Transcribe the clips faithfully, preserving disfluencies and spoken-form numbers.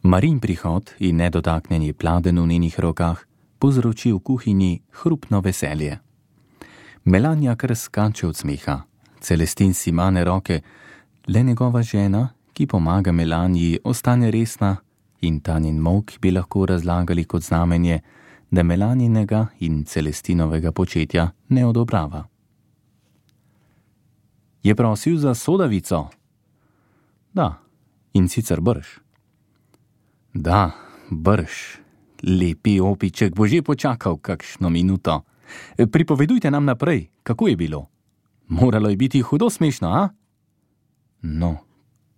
Marin prihod in nedotaknjeni pladen v njenih rokah povzroči v kuhinji hrupno veselje. Melania kar skače od smeha. Celestin si mane roke, le njegova žena, ki pomaga Melaniji, ostane resna in ta njen molk bi lahko razlagali kot znamenje, da Melaninega in Celestinovega početja ne odobrava. Je prosil za sodavico? Da, in sicer brž. Da, brž. Lepi opiček bo že počakal kakšno minuto. Pripovedujte nam naprej, kako je bilo. Moralo je biti hudo smešno, a? No,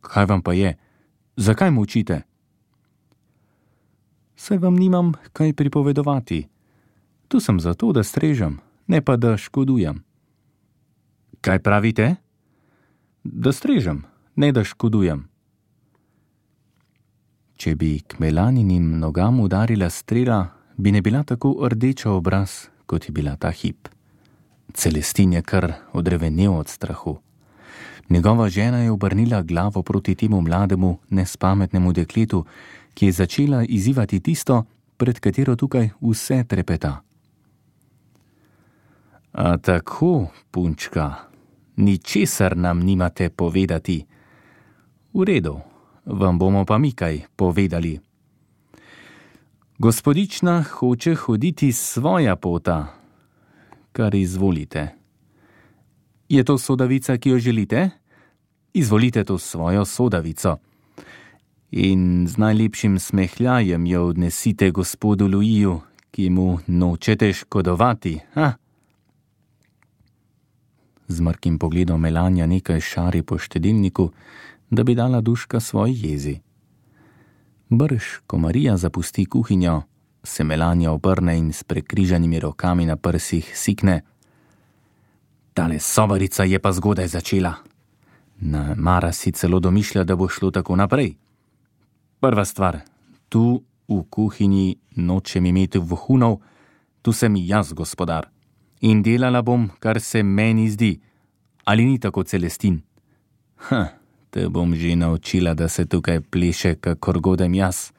kaj vam pa je? Zakaj molčite? Saj vam nimam kaj pripovedovati. Tu sem zato, da strežem, ne pa da škodujem. Kaj pravite? Da strežem, ne da škodujem. Če bi k Melaninim nogam udarila strela, bi ne bila tako rdeča obraz, kot je bila ta hip. Celestin je kar odrevenel od strahu. Njegova žena je obrnila glavo proti temu mlademu, nespametnemu dekletu, ki je začela izzivati tisto, pred katero tukaj vse trepeta. A tako, punčka, ničesar nam nimate povedati. V redu, vam bomo pa mi kaj povedali. Gospodična hoče hoditi svoja pota. Kar izvolite. Je to sodavica, ki jo želite? Izvolite to svojo sodavico. In z najlepšim smehljajem jo odnesite gospodu Luiju, ki mu nočete škodovati, ha? Z mrkim pogledom Melania nekaj šari po štedilniku, da bi dala duška svoji jezi. Brž, ko Marija zapusti kuhinjo, se Melania obrne in s prekrižanimi rokami na prsih sikne. Tale sobarica je pa zgodaj začela. Na Mara si celo domišlja, da bo šlo tako naprej. Prva stvar, tu v kuhinji nočem imeti vohunov, tu sem jaz gospodar. In delala bom, kar se meni zdi. Ali ni tako, Celestin? Ha, te bom že naučila, da se tukaj pleše, kakor godem jaz.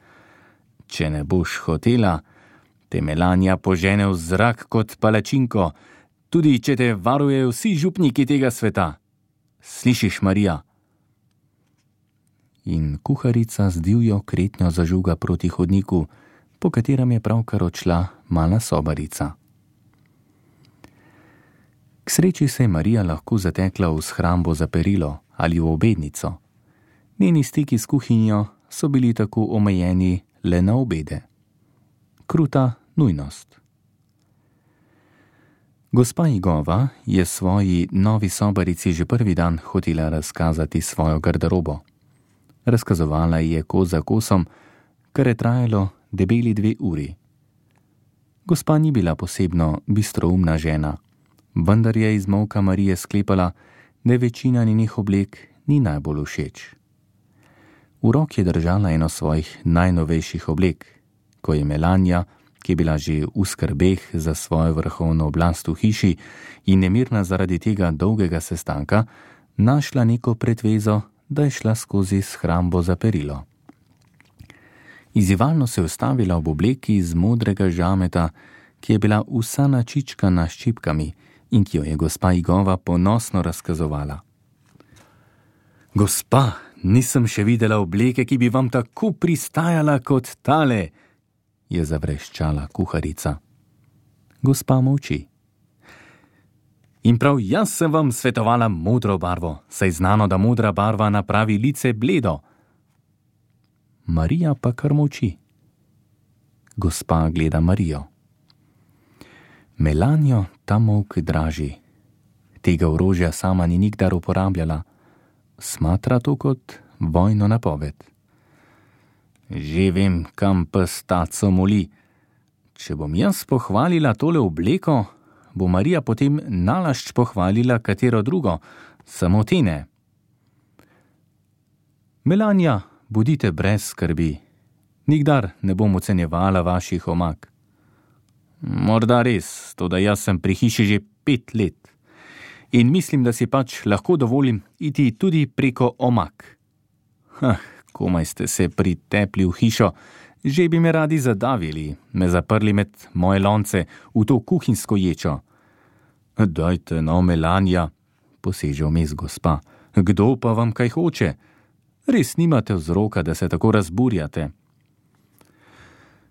Če ne boš hotela, te Melania požene v zrak kot palačinko, tudi če te varujejo vsi župniki tega sveta. Slišiš, Marija? In kuharica z divjo kretnjo zažuga proti hodniku, po katerem je pravkar odšla mala sobarica. K sreči se je Marija lahko zatekla v shrambo za perilo ali v obednico. Njeni stiki s kuhinjo so bili tako omejeni le na obede. Kruta nujnost. Gospa Igova je svoji novi sobarici že prvi dan hotela razkazati svojo garderobo. Razkazovala je kos za kosom, kar je trajalo debeli dve uri. Gospa ni bila posebno bistroumna žena, vendar je iz molka Marije sklepala, da večina njenih oblek ni najbolj všeč. V roki je držala eno svojih najnovejših oblek, ko je Melania, ki je bila že v skrbeh za svojo vrhovno oblast v hiši in nemirna zaradi tega dolgega sestanka, našla neko pretvezo, da je šla skozi shrambo za perilo. Izzivalno se je ustavila ob obleki iz modrega žameta, ki je bila vsa načičkana s ščipkami in ki jo je gospa Igova ponosno razkazovala. Gospa, nisem še videla obleke, ki bi vam tako pristajala kot tale, je zavreščala kuharica. Gospa molči. In prav jaz sem vam svetovala modro barvo, saj znano, da modra barva napravi lice bledo. Marija pa kar molči. Gospa gleda Marijo. Melanijo ta molk draži. Tega orožja sama ni nikdar uporabljala. Smatra to kot vojno napoved. Že vem, kam pes taco moli. Če bom jaz pohvalila tole obleko, bo Marija potem nalašč pohvalila katero drugo, samo te ne. Melania, bodite brez skrbi. Nikdar ne bom ocenjevala vaših omak. Morda res, toda jaz sem pri hiši že pet let. In mislim, da si pač lahko dovolim iti tudi preko omak. Hah, komaj ste se pritepli v hišo, že bi me radi zadavili, me zaprli med moje lonce v to kuhinjsko ječo. Dajte no, Melania, poseže vmes gospa, kdo pa vam kaj hoče? Res nimate vzroka, da se tako razburjate.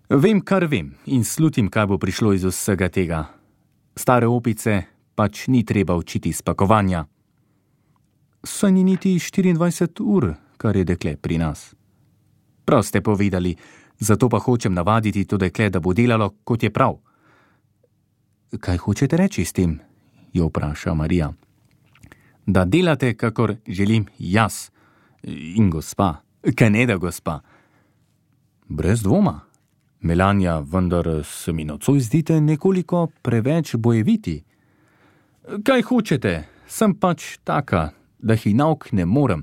Vem, kar vem in slutim, kaj bo prišlo iz vsega tega. Stare opice pač ni treba učiti spakovanja. Saj ni niti štiriindvajset ur, kar je dekle pri nas. Prav ste povedali, zato pa hočem navaditi to dekle, da bo delalo, kot je prav. Kaj hočete reči s tem? Jo vpraša Marija. Da delate, kakor želim jaz. In gospa, kaj ne da gospa? Brez dvoma. Melania, vendar se mi nocoj zdite nekoliko preveč bojeviti. Kaj hočete? Sem pač taka, da jih nauk ne morem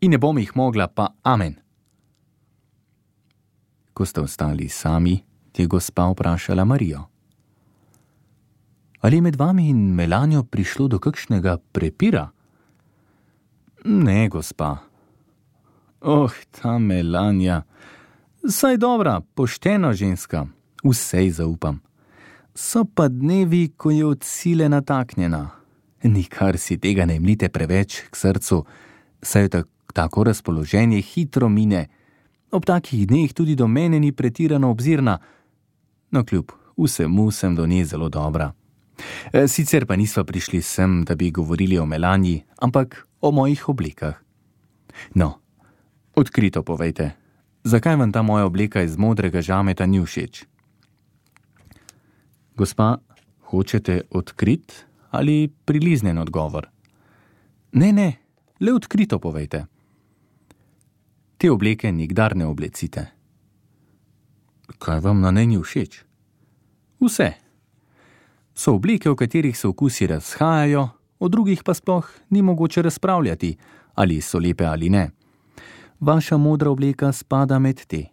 in ne bom jih mogla, pa amen. Ko ste ostali sami, je gospa vprašala Marijo. Ali je med vami in Melanijo prišlo do kakšnega prepira? Ne, gospa. Oh, ta Melania. Saj dobra, poštena ženska, vsej zaupam. So pa dnevi, ko je od sile nataknjena. Nikar si tega ne mlite preveč k srcu, saj je tako razpoloženje hitro mine. Ob takih dneh tudi do mene ni pretirano obzirna, no kljub vsemu sem do nje zelo dobra. Sicer pa nisva prišli sem, da bi govorili o Melaniji, ampak o mojih oblekah. No, odkrito povejte. Zakaj vam ta moja obleka iz modrega žameta ni všeč? Gospa, hočete odkrit ali priliznen odgovor? Ne, ne, le odkrito povejte. Te obleke nikdar ne oblecite. Kaj vam na njej ni všeč? Vse. So obleke, v katerih se okusi razhajajo, o drugih pa sploh ni mogoče razpravljati, ali so lepe ali ne. Vaša modra obleka spada med te.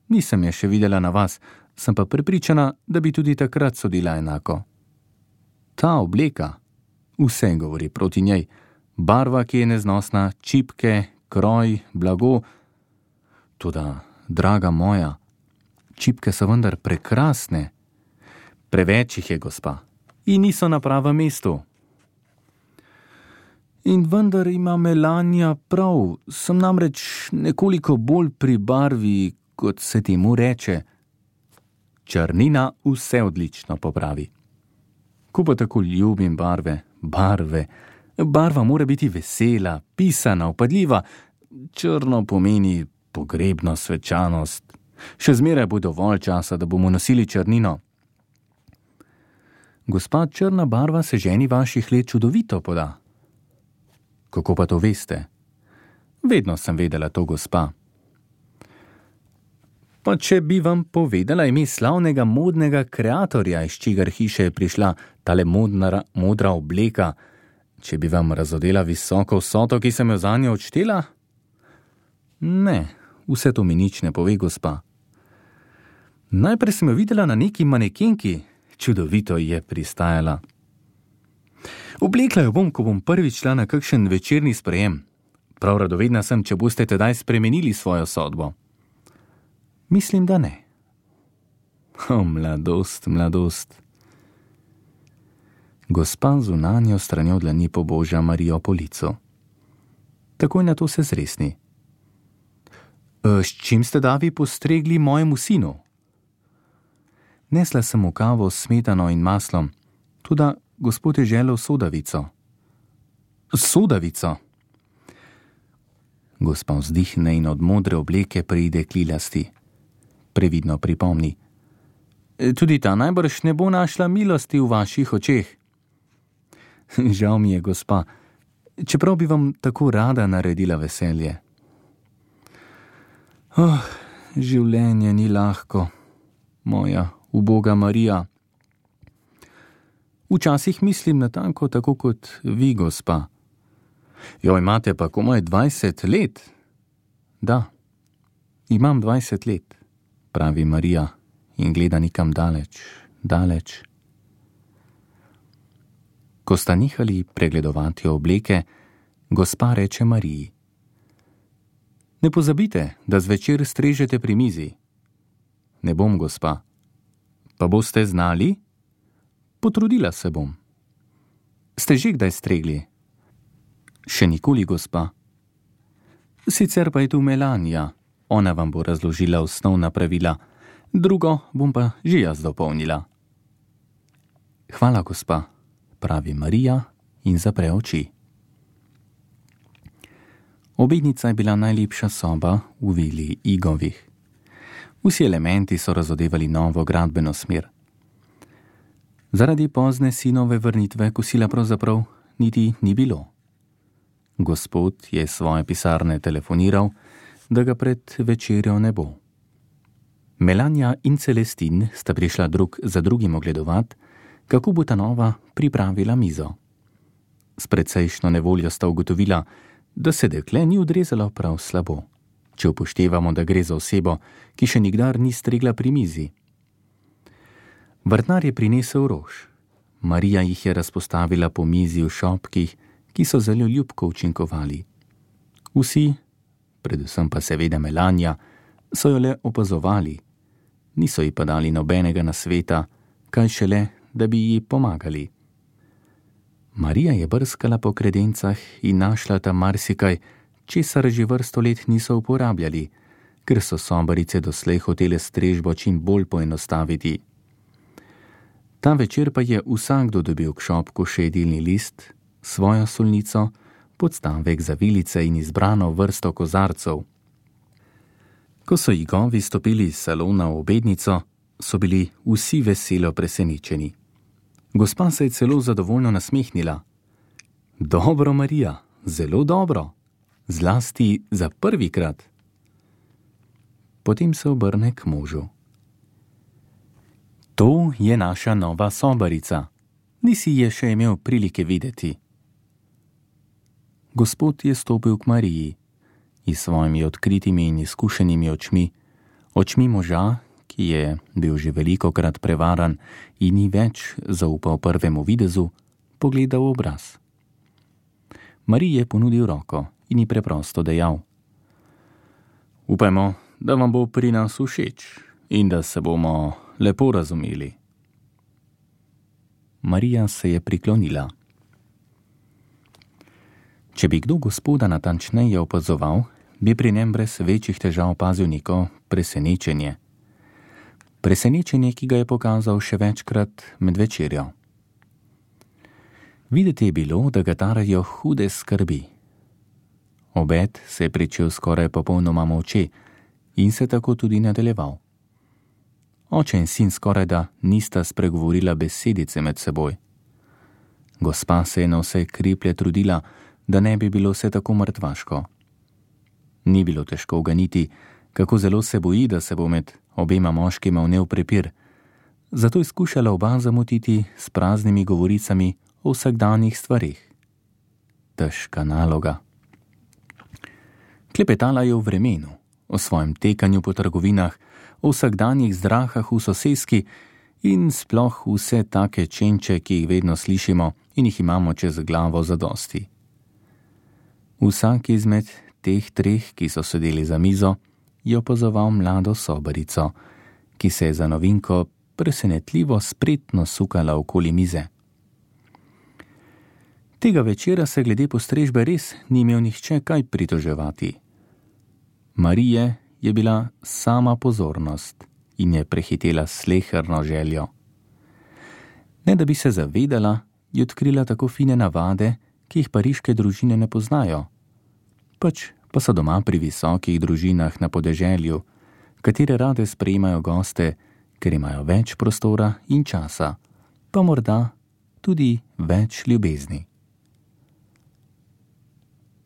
Nisem je še videla na vas, sem pa prepričana, da bi tudi takrat sodila enako. Ta obleka, vse govori proti njej, barva, ki je neznosna, čipke, kroj, blago. Toda, draga moja, čipke so vendar prekrasne. Preveč jih je, gospa, in niso na pravem mestu. In vendar ima Melania prav, sem namreč nekoliko bolj pri barvi, kot se temu reče. Črnina vse odlično popravi. Ko pa tako ljubim barve, barve, barva mora biti vesela, pisana, vpadljiva, črno pomeni pogrebno svečanost. Še zmeraj bo dovolj časa, da bomo nosili črnino. Gospa, črna barva se ženi vaših let čudovito poda. Kako pa to veste? Vedno sem vedela to, gospa. Pa če bi vam povedala ime slavnega modnega kreatorja, iz čigar hiše je prišla tale modna, modra obleka, če bi vam razodela visoko vsoto, ki sem jo zanjo odštela? Ne, vse to mi nič ne pove, gospa. Najprej sem jo videla na neki manekenki, čudovito je pristajala. Oblekla jo bom, ko bom prvič šla na kakšen večerni sprejem. Prav radovedna sem, če boste tedaj spremenili svojo sodbo. Mislim, da ne. O, mladost, mladost. Gospa zunanjo stranjo dlani poboža Marijo po licu. Takoj na to se zresni. S čim ste davi postregli mojemu sinu? Nesla sem mu kavo s smetano in maslom, tudi gospod je želel sodavico. Sodavico? Gospa vzdihne in od modre obleke pride klilasti. Previdno pripomni. Tudi ta najbrž ne bo našla milosti v vaših očeh. Žal mi je, gospa, čeprav bi vam tako rada naredila veselje. Oh, življenje ni lahko, moja uboga Marija. Včasih mislim natanko tako kot vi, gospa. Jo, imate pa komaj dvajset let? Da, imam dvajset let, pravi Marija in gleda nikam daleč, daleč. Ko sta nehali pregledovati obleke, gospa reče Mariji. Ne pozabite, da zvečer strežete pri mizi. Ne bom, gospa. Pa boste znali? Potrudila se bom. Ste že kdaj stregli? Še nikoli, gospa. Sicer pa je tu Melania. Ona vam bo razložila osnovna pravila. Drugo bom pa že jaz dopolnila. Hvala, gospa, pravi Marija in zapre oči. Obednica je bila najlepša soba v vili Igovih. Vsi elementi so razodevali novo gradbeno smer. Zaradi pozne sinove vrnitve kosila pravzaprav niti ni bilo. Gospod je svoje pisarne telefoniral, da ga pred večerjo ne bo. Melania in Celestin sta prišla drug za drugim ogledovat, kako bo ta nova pripravila mizo. S precejšno nevoljo sta ugotovila, da se dekle ni odrezalo prav slabo, če upoštevamo, da gre za osebo, ki še nikdar ni stregla pri mizi. Vrtnar je prinesel rož. Marija jih je razpostavila po mizi v šopkih, ki so zelo ljubko učinkovali. Vsi, predvsem pa seveda Melania, so jo le opazovali, niso ji pa dali nobenega nasveta, kaj šele, da bi ji pomagali. Marija je brskala po kredencah in našla tam marsikaj, česar že vrsto let niso uporabljali, ker so sobarice doslej hotele strežbo čim bolj poenostaviti. Ta večer pa je vsakdo dobil k šopku še jedilni list, svojo solnico, podstavek za vilice in izbrano vrsto kozarcev. Ko so Igovi stopili iz salona v obednico, so bili vsi veselo presenečeni. Gospa se je celo zadovoljno nasmehnila. Dobro, Marija, zelo dobro, zlasti za prvikrat. Potem se obrne k možu. To je naša nova sobarica. Nisi je še imel prilike videti. Gospod je stopil k Mariji in svojimi odkritimi in izkušenimi očmi, očmi moža, ki je bil že velikokrat prevaran in ni več zaupal prvemu videzu, pogledal v obraz. Mariji je ponudil roko in ji preprosto dejal: Upajmo, da vam bo pri nas všeč in da se bomo lepo razumeli. Marija se je priklonila. Če bi kdo gospoda natančneje opazoval, bi pri njem brez večjih težav opazil neko presenečenje. Presenečenje, ki ga je pokazal še večkrat med večerjo. Videti je bilo, da ga tarajo hude skrbi. Obed se je pričel skoraj popolnoma molče in se tako tudi nadaljeval. Oče in sin skoraj da nista spregovorila besedice med seboj. Gospa se je na vse kriplje trudila, da ne bi bilo vse tako mrtvaško. Ni bilo težko uganiti, kako zelo se boji, da se bo med obema moškima vnel prepir, zato je skušala oba zamotiti s praznimi govoricami o vsakdanjih stvarih. Težka naloga. Klepetala je o vremenu, o svojem tekanju po trgovinah, o vsakdanjih zdrahah v soseski in sploh vse take čenče, ki jih vedno slišimo in jih imamo čez glavo zadosti. Vsak izmed teh treh, ki so sedeli za mizo, je opazoval mlado sobarico, ki se je za novinko presenetljivo spretno sukala okoli mize. Tega večera se glede postrežbe res ni imel nihče kaj pritoževati. Marije je bila sama pozornost in je prehitela sleherno željo. Ne da bi se zavedala, je odkrila tako fine navade, ki jih pariške družine ne poznajo. Pač pa so doma pri visokih družinah na podeželju, katere rade sprejemajo goste, ker imajo več prostora in časa, pa morda tudi več ljubezni.